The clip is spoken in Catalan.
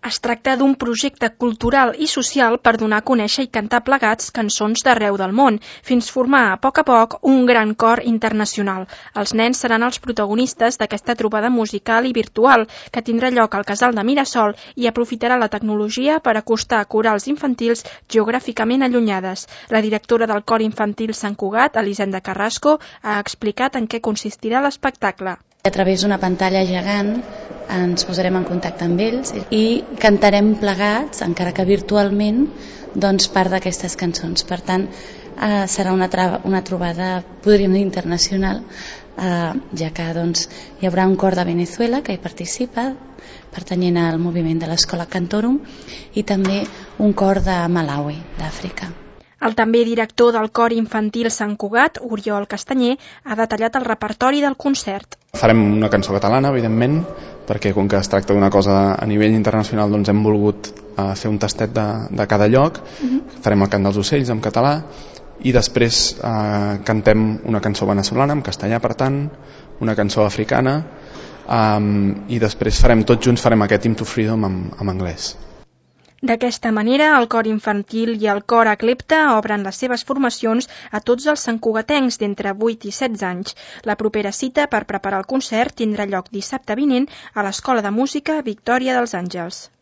Es tracta d'un projecte cultural i social per donar a conèixer i cantar plegats cançons d'arreu del món, fins formar a poc un gran cor internacional. Els nens seran els protagonistes d'aquesta trobada musical i virtual que tindrà lloc al Casal de Mirasol i aprofitarà la tecnologia per acostar corals infantils geogràficament allunyades. La directora del Cor Infantil Sant Cugat, Elisenda Carrasco, ha explicat en què consistirà l'espectacle. A través d'una pantalla gegant ens posarem en contacte amb ells i cantarem plegats, encara que virtualment, part d'aquestes cançons. Per tant, serà una trobada, podríem dir, internacional, ja que hi haurà un cor de Venezuela que hi participa, pertanyent al moviment de l'Escola Cantorum, i també un cor de Malawi, d'Àfrica. El també director del Cor Infantil Sant Cugat, Oriol Castanyer, ha detallat el repertori del concert. Farem una cançó catalana, evidentment, perquè com que es tracta d'una cosa a nivell internacional, hem volgut fer un tastet de cada lloc. Farem el cant dels ocells en català i després cantem una cançó venezolana en castellà, per tant, una cançó africana, i després tots junts farem aquest Hymn to Freedom en anglès. D'aquesta manera, el Cor Infantil i el Cor Aclepta obren les seves formacions a tots els santcugatencs d'entre 8 i 16 anys. La propera cita per preparar el concert tindrà lloc dissabte vinent a l'Escola de Música Victòria dels Àngels.